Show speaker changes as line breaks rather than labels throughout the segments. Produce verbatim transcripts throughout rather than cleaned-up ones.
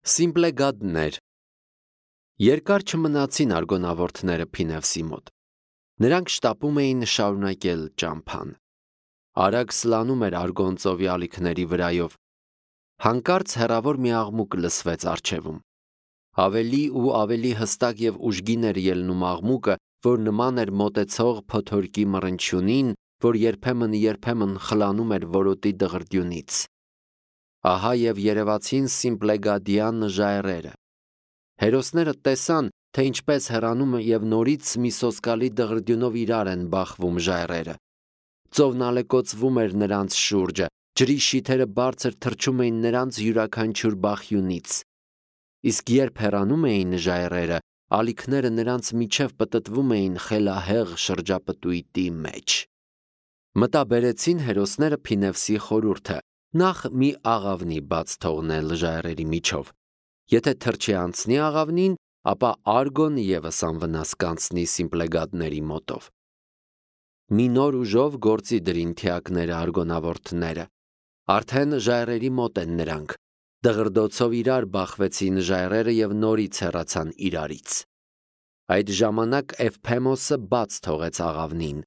Սիմպլեգադներ։ Երկար չմնացին արգոնավորտները Փինևսի մոտ։ Նրանք շտապում էին շարունակել ճամփան։ Արագ սլանում էր Արգոն ծովի ալիքների վրայով։ Հանկարծ հեռավոր մի աղմուկ լսվեց առջևում։ Ավելի ու ավելի հստակ և ուժգին էր ելնում աղմուկը, որ նման էր մոտեցող փոթորկի մռնչյունին, որ երբեմն-երբեմն խլանում էր որոտի դղրդյունից։ Ահա և երևացին սիմպլեգադյան ժայռերը։ Հերոսները տեսան, թե ինչպես հեռանում և նորից մի սոսկալի դղրդյունով իրար են բախվում ժայռերը։ Ծովն ալեկոծվում էր նրանց շուրջը, ջրի շիթերը բարձր թռչում էին նրանց յուրաքանչյուր բախյունից։ Իսկ երբ հեռանում էին ժայռերը, ալիքները նրանց միջև պտտվում էին խելահեղ շրջապտույտի մեջ։ Մտա բերեցին հերոսները Փինևսի խորհուրդը, նախ մի աղավնի բաց թողնել ժայռերի միջով։ Եթե թռչի անցնի աղավնին, ապա Արգոն ևս անվնաս կանցնի սիմպլեգադների մոտով։ Մի նոր ուժով գործի դրին թիակները արգոնավորտները։ Արդեն ժայռերի մոտ են նրանք։ Դղրդոցով իրար բախվեցին ժայռերը և նորից հեռացան իրարից։ Այդ ժամանակ Էվփեմոսը բաց թողեց աղավնին։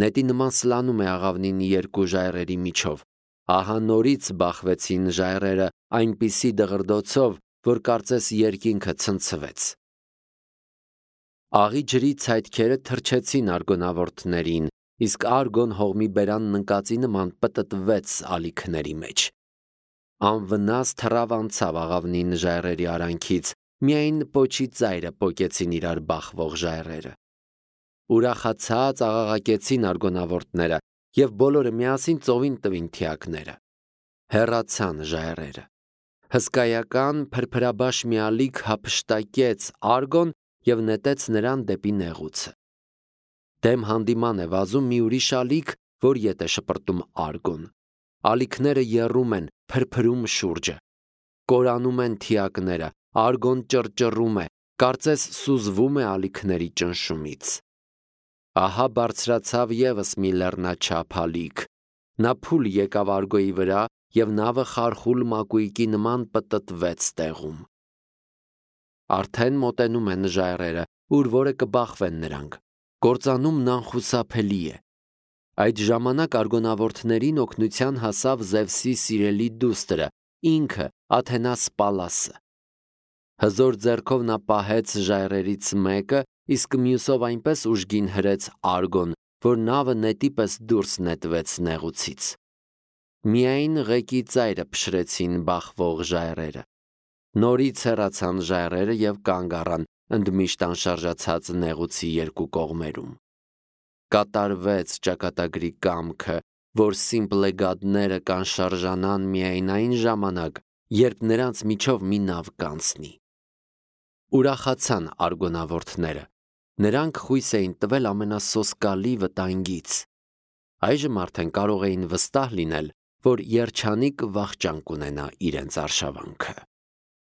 Նետի նման սլանում է աղավնին երկու ժայռերի միջով։ Ահա նորից բախվեցին ժայռերը այնպիսի դղրդոցով, որ կարծես երկինքը ցնցվեց։ Աղի ջրի ցայտքերը թռչեցին արգոնավորտներին, իսկ Արգոն հողմի բերանն ընկածի նման պտտվեց ալիքների մեջ։ Անվնաս թռավ անցավ աղավնին ժայռերի արանքից, միայն պոչի ծայրը պոկեցին իրար բախվող ժայռերը։ Ուրախացած աղաղակեցին արգոնավորտները և բոլորը միասին ծովին տվին թիակները։ Հեռացան ժայռերը։ Հսկայական փրփրաբաշ մի ալիք հափշտակեց Արգոն և նետեց նրան դեպի նեղուցը։ Դեմ հանդիման է վազում մի ուրիշ ալիք, որ ետ է շպրտում Արգոն։ Ալիքները եռում են, փրփրում շուրջը։ Կորանում են թիակները, Արգոն ճռճռում է, կարծես սուզվում է ալիքների ճնշումից։ Ահա բարձրացավ ևս մի լեռնաչափ ալիք։ Նա փուլ եկավ Արգոյի վրա և նավը խարխուլ մակույկի նման պտտվեց տեղում։ Արդեն մոտենում են ժայռերը, ուր որը կբախվեն նրանք։ Կործանումն անխուսափելի է։ Այդ ժամանակ արգոնավորտներին օգնության հասավ Զևսի սիրելի դուստրը, ինքը Աթենաս Պալասը։ Հզոր ձեռքով նա պահեց ժայռերից մեկը, իսկ մյուսով այնպես ուժգին հրեց Արգոն, որ նավը նետի պես դուրս նետվեց նեղուցից։ Միայն ղեկի ծայրը փշրեցին բախվող ժայռերը։ Նորից հեռացան ժայռերը և կանգ առան ընդմիշտ անշարժացած նեղուցի երկու կողմերում։ Կատարվեց ճակատագրի կամքը, որ սիմպլեգադները կանշարժանան միայն այն ժամանակ, երբ նրանց միջով մի նավ կանցնի։ Ուրախացան արգոնավորտները։ Նրանք խույս էին տվել ամենասոսկալի վտանգից։ Այժմ արդեն կարող էին վստահ լինել, որ երջանիկ վախճան կունենա իրենց արշավանքը։